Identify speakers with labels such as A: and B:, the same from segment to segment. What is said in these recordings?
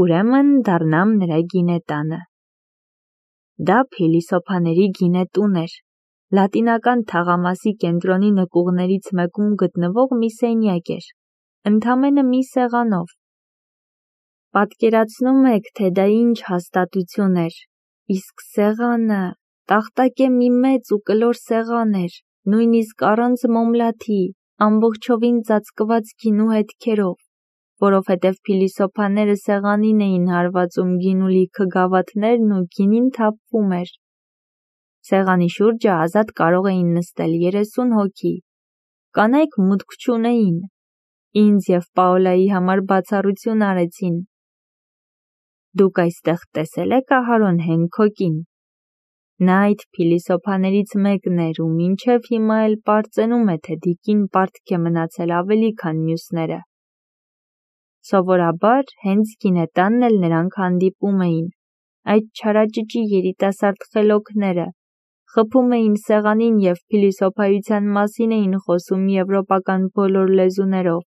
A: ուրեմն դառնամ նրա գինետանը։ Դա փիլիսոփաների գինետուն էր, լատինական թաղամասի կենտրոնի նկուղներից մեկում գտնվող մի սենյակ էր, ընդամենը մի սեղանով։ Պատկերացնում եք, թե դա ինչ հաստատություն էր, իսկ սեղանը, տախտակե մի մեծ ու կլոր սեղան էր, նույնիսկ առանց մոմլաթի, ամբողջովին ծածկված գինու հետքերով, որովհետև փիլիսոփաները սեղանին էին հարվածում գինու լիքը գավաթներն ու գինին թափվում էր։ Սեղանի շուրջը ազատ կարող էին նստել 30 հոգի։ Կանայք մուտք չունեին։ Ինձ և Պաոլայի համար բացառություն արեցին։ Դուք այստեղ տեսել եք Ահարոն Հենքոկին։ Նա այդ փիլիսոփաներից մեկն էր ու մինչև հիմա էլ պարծենում է, թե Դիկին պարտք է մնացել ավելի, քան մյուսները։ Սովորաբար հենց գինետանն էլ նրանք հանդիպում էին, այդ չարաճճի երիտասարդ խելոքները, խփում էին սեղանին և փիլիսոփայության մասին էին խոսում եվրոպական բոլոր լեզուներով։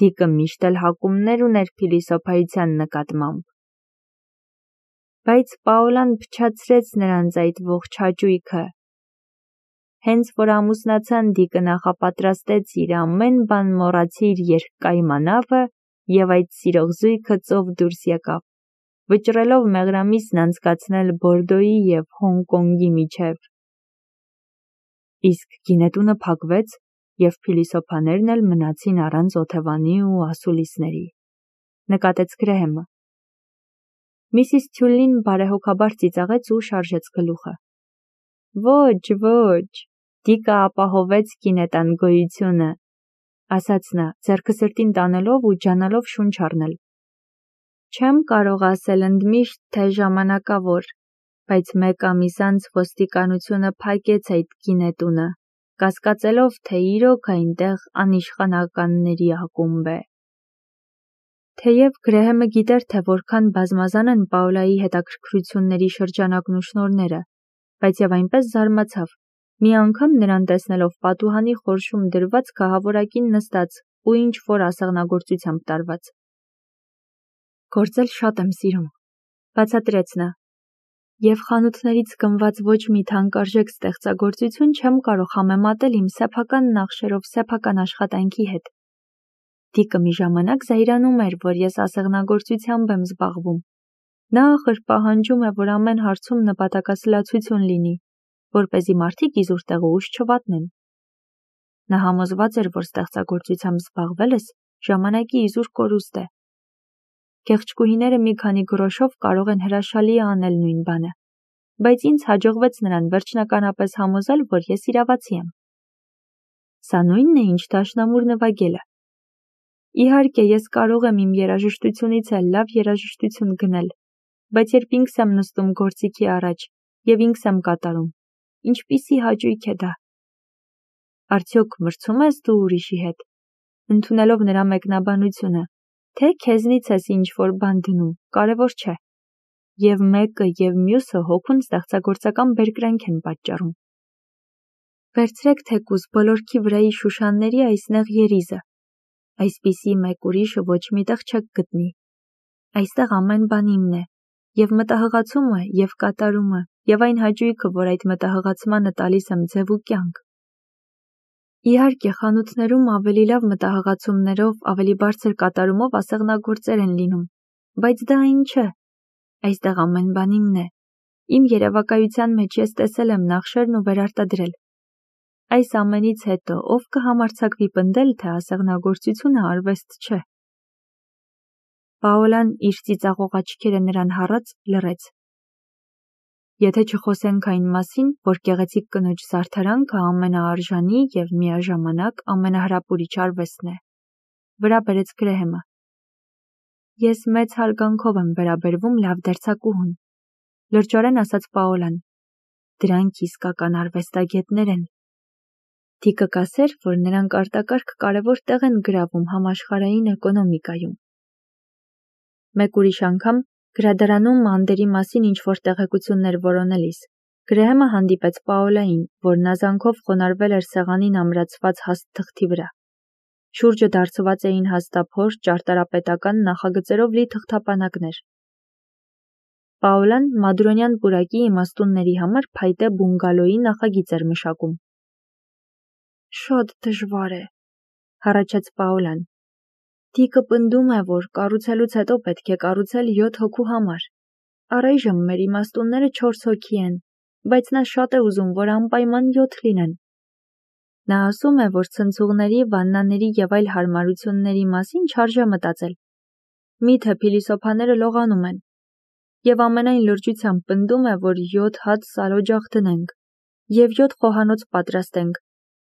A: Դիկը միշտ էլ հակումներ ուներ փիլիսոփայության նկատմամբ։ Բայց Պաոլան փչացրեց նրանց այդ ողջ հաճույքը։ Հենց որ ամուսնացան, Դիկը նախապատրաստեց իր ամեն բան մոռացիր երկկայմանավը և այդ սիրող զույգը ծով դուրս եկավ, վճռելով մեղրամիսն անցկացնել Բորդոյի և Հոնկոնգի միջև։ Իսկ գինետունը փակվեց, և փիլիսոփաներն էլ մնացին առանց օթևանի ու ասուլիսների, նկատեց Գրեհեմը։ Միսիս Թյուլին բարեհոգաբար ծիծաղեց ու շարժեց գլուխը։ Ոչ, Դիկը ապահովեց գինետան գոյությունը, ասաց նա, ձեռքը սրտին տանելով ու ջանալով շունչ առնել։ Չեմ կարող ասել ընդմիշտ, թե ժամանակավոր, բայց մեկ ամիս անց ոստիկանությունը փակեց այդ գինետունը, կասկածելով, թե իրոք այնտեղ անիշխանականների ակումբ է։ Թեև Գրեհեմը գիտեր, թե որքան բազմազան են Պաոլայի հետաքրքրությունների շրջանակն ու շնորհները, բայց և այնպես զարմացավ, մի անգամ նրան տեսնելով պատուհանի խորշում դրված գահավորակին նստած ու ինչ-որ ասեղնագործությամբ տարված։ Գործել շատ եմ սիրում, բացատրեց նա, և խանութներից գնված ոչ մի թանկարժեք ստեղծագործություն չեմ կարող համեմատել իմ սեփական նախշերով սեփական աշխատանքի հետ։ Դիկը մի ժամանակ զայրանում էր, որ ես ասեղնագործությամբ եմ զբաղվում։ Նա ախր պահանջում է, որ ամեն հարցում նպատակասլացություն լինի, որպեսզի մարդիկ իզուր տեղուհուշ չվատնեն։ Նա համոզված էր, որ ստեղծագործությամբ զբաղվելս ժամանակի իզուր կորուստ է։ Գեղեցկուհիները մի քանի գրոշով կարող են հրաշալի անել նույն բանը, բայց ինձ հաջողվեց նրան վերջնականապես համոզել, որ ես իրավացի եմ։ Սա նույնն է, ինչ դաշնամուր նվագելը։ Իհարկե, ես կարող եմ իմ երաժշտությունից էլ լավ երաժշտություն գնել, բայց երբ ինքս եմ նստում գործիքի առաջ և ինքս եմ կատարում, ինչպիսի հաճույք է դա։ Արդյոք մրցում ես դու ուրիշի հետ, ընդունելով նրա մեկնաբանությունը, թե քեզնից ես ինչ-որ բան դնում, կարևոր չէ։ Եվ մեկը և մյուսը հոգուն ստեղծագործական բերկրանք են պատճառում։ Վերցրեք թեկուզ բոլորքի վրայի շուշանների այս նեղ երիզը։ Այսպիսի մեկ ուրիշը ոչ միտեղ չեք գտնի։ Այստեղ ամեն բան իմն է, և մտահղացումը, և կատարումը, և այն հաճույքը, որ այդ մտահղացմանը տալիս եմ ձև ու կյանք։ Իհարկե, խանութներում ավելի լավ մտահղացումներով, ավելի բարձր կատարումով ասեղնագործեր են լինում, բայց դա այն չէ։ Այստեղ ամեն բան իմն է։ Իմ երևակայության մեջ ես տեսել եմ նախշերն ու վերարտադրել։ Այս ամենից հետո ով կհամարձակվի պնդել, թե ասեղնագործությունը արվեստ չէ։ Պաոլան իր ծիծաղող աչքերը նրան հառած լռեց։ Եթե չխոսենք այն մասին, որ գեղեցիկ կնոջ զարդարանքը ամենաարժանի և միաժամանակ ամենահրապուրիչ արվեստն է, վրա բերեց Գրեհեմը։ Ես մեծ հարգանքով եմ վերաբերվում լավ դերձակուհուն, լրջորեն ասաց Պաոլան։ Դրանք իսկական արվեստագետներ են։ Դիկը կասեր, որ նրանք արտակարգ կարևոր տեղ են գրավում համաշխարհային էկոնոմիկայում։ Մեկ ուրիշ անգամ գրադարանում անդերի մասին ինչ-որ տեղեկություններ որոնելիս Գրեհեմը հանդիպեց Պաոլային, որն ազանքով խոնարհվել էր սեղանին ամրացված հաստ թղթի վրա։ Շուրջը դարձված էին հաստափոր ճարտարապետական նախագծերով լի թղթապանակներ։ Պաոլան մադրոնյան պուրակի իմաստունների համար փայտե բունգալոյի նախագիծ էր մշակում։ Շատ դժվար է, հառաչեց Պաոլան։ Տիկը պնդում է, որ կառուցելուց հետո պետք է կառուցել 7 հոգու համար։ Առայժմ մեր իմաստունները 4 հոգի են, բայց նա շատ է ուզում, որ անպայման 7 լինեն։ Նա ասում է, որ ցնցուղների, վաննաների եւ այլ հարմարությունների մասին չարժե մտածել։ Միթե փիլիսոփաները լողանում են։ Եվ ամենայն լրջությամբ պնդում է, որ 7 հատ սալօջախ դնենք եւ 7 խոհանոց պատրաստենք։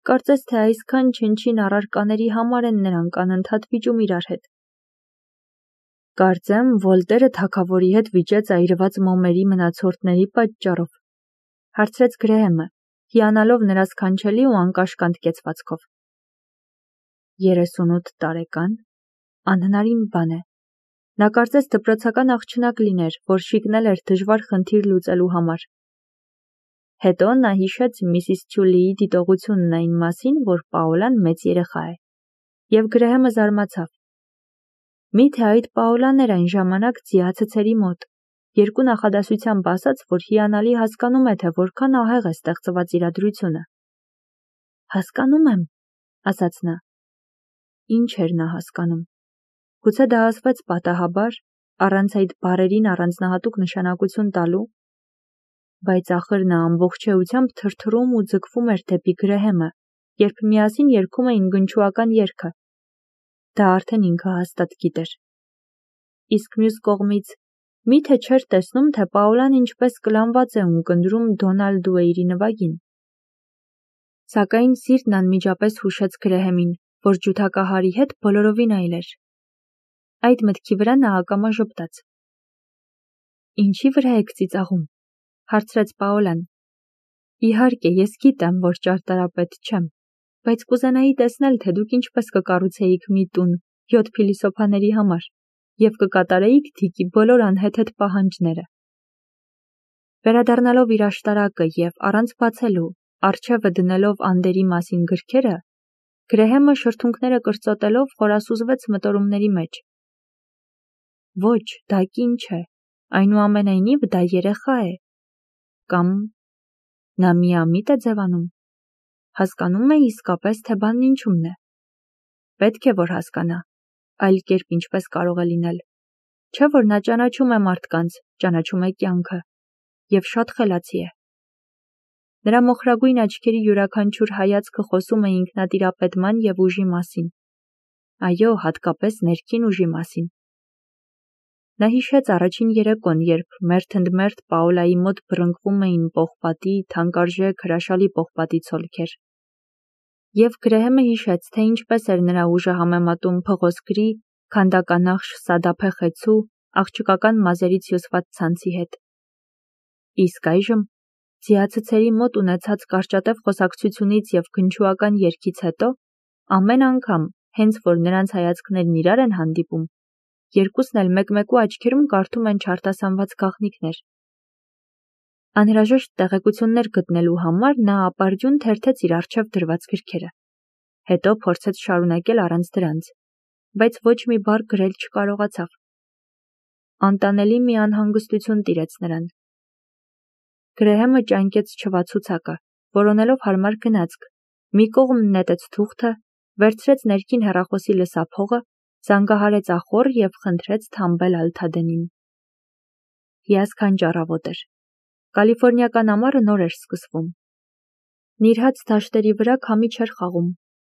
A: Կարծես թե այսքան չնչին առարկաների համար են նրանք անընդհատ վիճում իրար հետ։ Կարծեմ, Վոլտերը թագավորի հետ վիճեց այրված մոմերի մնացորդների պատճառով, հարցրեց Գրեհեմը, հիանալով նրա սքանչելի ու անկաշկանդ կեցվածքով։ 38 տարեկան, անհնարին բան է։ Նա կարծես դպրոցական աղջնակ լիներ, որ շիկնել էր դժվար խնդիր լուծելու համար։ Հետո նա հիշեց Միսիս Չուլիի դիտողությունն այն մասին, որ Պաոլան մեծ երեխա է, եւ Գրեհեմը զարմացավ։ Միթե այդ Պաոլան էր այն ժամանակ ձիացցերի մոտ, երկու նախադասությամբ ասաց, որ հիանալի հասկանում է, թե որքան ահեղ է ստեղծված իրադրությունը։ Հասկանում եմ, ասաց նա։ Ինչ էր նա հասկանում։ Գուցե դա ասվեց պատահաբար, առանց այդ բառերին առանձնահատուկ նշանակություն տալու, բայց ախր նա ամբողջ էությամբ թրթռում ու ձգվում էր դեպի Գրեհեմը, երբ միասին երգում էին գնչուական երգը։ Դա արդեն ինքը հաստատ գիտեր։ Իսկ մյուս կողմից, միթե չէր տեսնում, թե Պաոլան ինչպես կլանված է ունկնդրում Դոնալ Դուեյրի նվագին։ Սակայն սիրտն անմիջապես հուշեց Գրեհեմին, որ ջութակահարի հետ բոլորովին այլ էր։ Այդ մտքի վրա նա ակամա ժպտաց։ Ինչի վրա եք ծիծաղում, հարցրեց Պաոլան։ Իհարկե, ես գիտեմ, որ ճարտարապետ չեմ, բայց կուզենայի տեսնել, թե դուք ինչպես կկառուցեիք մի տուն 7 փիլիսոփաների համար եւ կկատարեիք Դիկի բոլոր անհեթեթ պահանջները։ Վերադառնալով իր աշտարակը եւ առանց բացելու, առջևը դնելով անդերի մասին գրքերը, Գրեհեմը շրթունքները կրծոտելով խորասուզվեց մտորումների մեջ։ Ոչ, դա կին չէ, այնուամենայնիվ դա երեխա է։ Կամ նա միամիտ է ձևանում։ Հասկանում է իսկապես, թե բանն ինչումն է։ Պետք է, որ հասկանա, այլ կերպ ինչպես կարող է լինել։ Չէ՞ որ նա ճանաչում է մարդկանց, ճանաչում է կյանքը, եւ շատ խելացի է։ Նրա մոխրագույն աչքերի յուրաքանչյուր հայացքը խոսում է ինքնատիրապետման եւ ուժի մասին։ Այո, հատկապես ներքին ուժի մասին։ Նա հիշեց առաջին երեկոն, երբ մերթընդմերթ Պաոլայի մոտ բռնկվում էին պողպատի, թանկարժեք հրաշալի պողպատի ցոլքեր։ Եվ Գրեհեմը հիշեց, թե ինչպես էր նրա ուժը համեմատում փղոսկրի, քանդականախշ սադափե խեցու, աղջկական մազերից հյուսված ցանցի հետ։ Իսկ այժմ, ձիացցերի մոտ ունեցած կարճատև խոսակցությունից եւ գնչուական երգից հետո, ամեն անգամ, հենց որ նրանց հայացքներն իրար են հանդիպում, երկուսն էլ մեկ-մեկու աչքերում կարդում են չարտասանված գաղտնիքներ։ Անհրաժեշտ տեղեկություններ գտնելու համար նա ապարդյուն թերթեց իր առջև դրված գրքերը։ Հետո փորձեց շարունակել առանց դրանց, բայց ոչ մի բառ գրել չկարողացավ։ Անտանելի մի անհանգստություն տիրեց նրան։ Գրեհեմը ճանկեց չվացուցակը, որոնելով հարմար գնացք, մի կողմ նետեց թուղթը, վերցրեց ներքին հեռախոսի լսափողը, զանգահարեց ախոր եւ խնդրեց թամբել Ալթադենին։ Հիասքանչ առավոտ էր։ Կալիֆոռնիական ամառը նոր էր սկսվում։ Նիրհած դաշտերի վրա քամի չէր խաղում,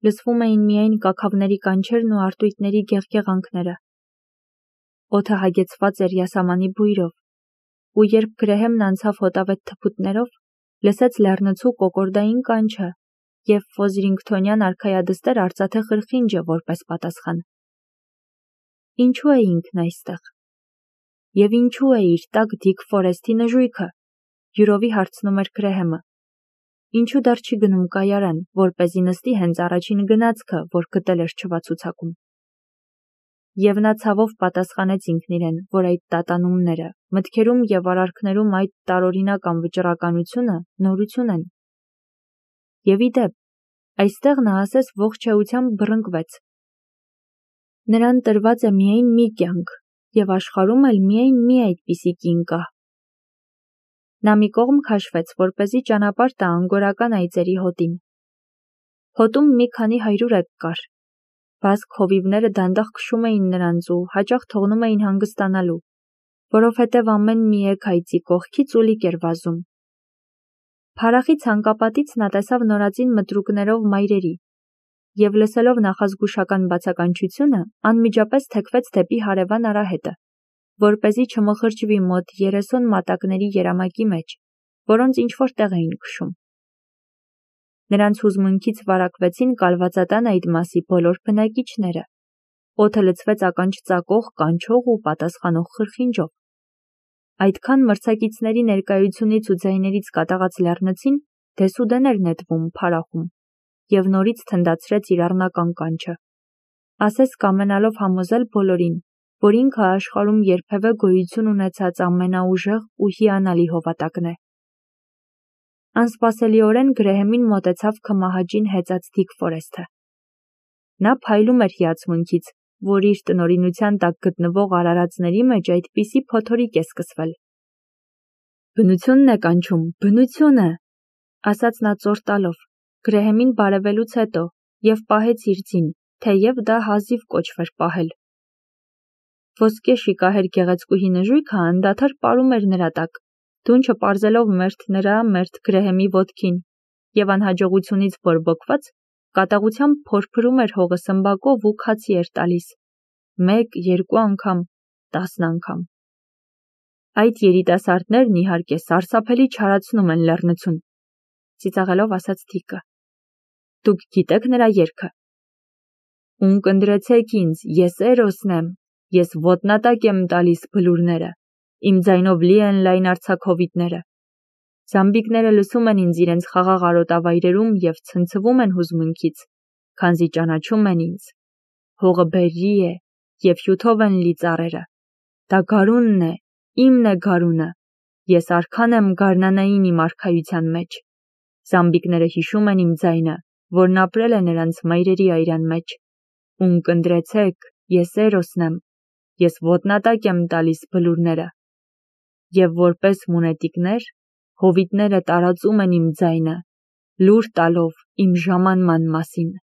A: լսվում էին միայն կաքավների կանչերն ու արտույտների գեղգեղանքները։ Օդը հագեցված էր յասամանի բույրով, ու երբ Գրեհեմն անցավ հոտավետ թփուտներով, լսեց լեռնցու կոկորդային կանչը եւ ֆոզրինգթոնյան արքայադստեր արծաթե խրխինջը որպես պատասխան։ Ինչու է ինքն այստեղ։ Եվ ինչու է իր տակ Դիկ Ֆորեսթի նժույգը, յուրովի հարցնում էր Գրեհեմը։ Ինչու դեռ չի գնում կայարան, որպեսզի նստի հենց առաջին գնացքը, որ գտել էր չվացուցակում։ Եվ նա ցավով պատասխանեց ինքն իրեն, որ այդ տատանումները, մտքերում եւ արարքներում այդ տարօրինակ անվճռականությունը նորություն են։ Եվ ի դեպ, այստեղ նա ասես ողջ էությամբ բռնկվեց, Նրան տրված է միայն մի կյանք, և աշխարհում էլ միայն մի այդպիսի կին կա։ Նա մի կողմ քաշվեց, որպեսզի ճանապարհ տա անգորական այծերի հոտին։ Հոտում մի քանի հայրուրեկ կար։ Բազկ հովիվները դանդաղ քշում էին նրանց ու հաճախ թողնում էին հանգստանալու, որովհետև ամեն մի եկ այծի կողքից ուլիկ էր վազում։ Փարախի ցանկապատից նա տեսավ նորածին մտրուկներով մայրերի և լսելով նախազգուշական բացականչությունը, անմիջապես թեքվեց դեպի հարևան արահետը, որպեսզի չմխրճվի մոտ 30 մատակների երամակի մեջ, որոնց ինչ-որ տեղ էին քշում։ Նրանց հուզմունքից վարակվեցին կալվածատան այդ մասի բոլոր բնակիչները։ Օդը լցվեց ականջ ծակող, կանչող ու պատասխանող խրխինջով։ Այդքան մրցակիցների ներկայությունից ու ձայներից կատաղած լեռնցին դեսուդեն էր նետվում փարախում և նորից թնդացրեց իր առնական կանչը, ասես կամենալով համոզել բոլորին, որ ինքը աշխարհում երբևէ գոյություն ունեցած ամենաուժեղ ու հիանալի հովատակն է։ Անսպասելիորեն Գրեհեմին մոտեցավ քմահաճին հեծած Դիկ Ֆորեսթը։ Նա փայլում էր հիացմունքից, որ իր տնօրինության տակ գտնվող արարածների մեջ այդպիսի փոթորիկ է սկսվել։ «Բնությունն է կանչում, բնությունը», ասաց նա ծոր տալով, Գրեհեմին բարևելուց հետո և պահեց իր ձին, թեև դա հազիվ կոչվեր պահել։ Ոսկե շիկահեր գեղեցկուհի նժույգը անդադար պարում էր նրա տակ, դունչը պարզելով մերթ նրա, մերթ Գրեհեմի ոտքին, և անհաջողությունից բորբոքված, կատաղությամբ փորփրում էր հողը սմբակով ու քացի էր տալիս, 1, 2 անգամ, 10 անգամ։ Այդ երիտասարդներն իհարկե սարսափելի չարացնում են լեռնցուն, ծիծաղելով ասաց Դիկը։ Դուք գիտեք նրա երգը։ Ունկնդրեցեք ինձ, ես Էրոսն եմ, ես ոտնատակ եմ տալիս բլուրները, իմ ձայնով լի են լայն արձակ հովիտները։ Զամբիկները լսում են ինձ իրենց խաղաղ արոտավայրերում և ցնցվում են հուզմունքից, քանզի ճանաչում են ինձ։ Հողը բերրի է, և հյութով են լի ծառերը։ Դա գարունն է, իմն է գարունը, ես արքան եմ գարնանային իմ արքայության մեջ։ Զամբիկները հիշում են իմ ձայնը, որն ապրել է նրանց մայրերի այրան մեջ։ Ունկնդրեցեք, ես Էրոսն եմ, ես ոտնատակ եմ տալիս բլուրները։ Եվ որպես մունետիկներ, հովիտները տարածում են իմ ձայնը, լուր տալով իմ ժամանման մասին։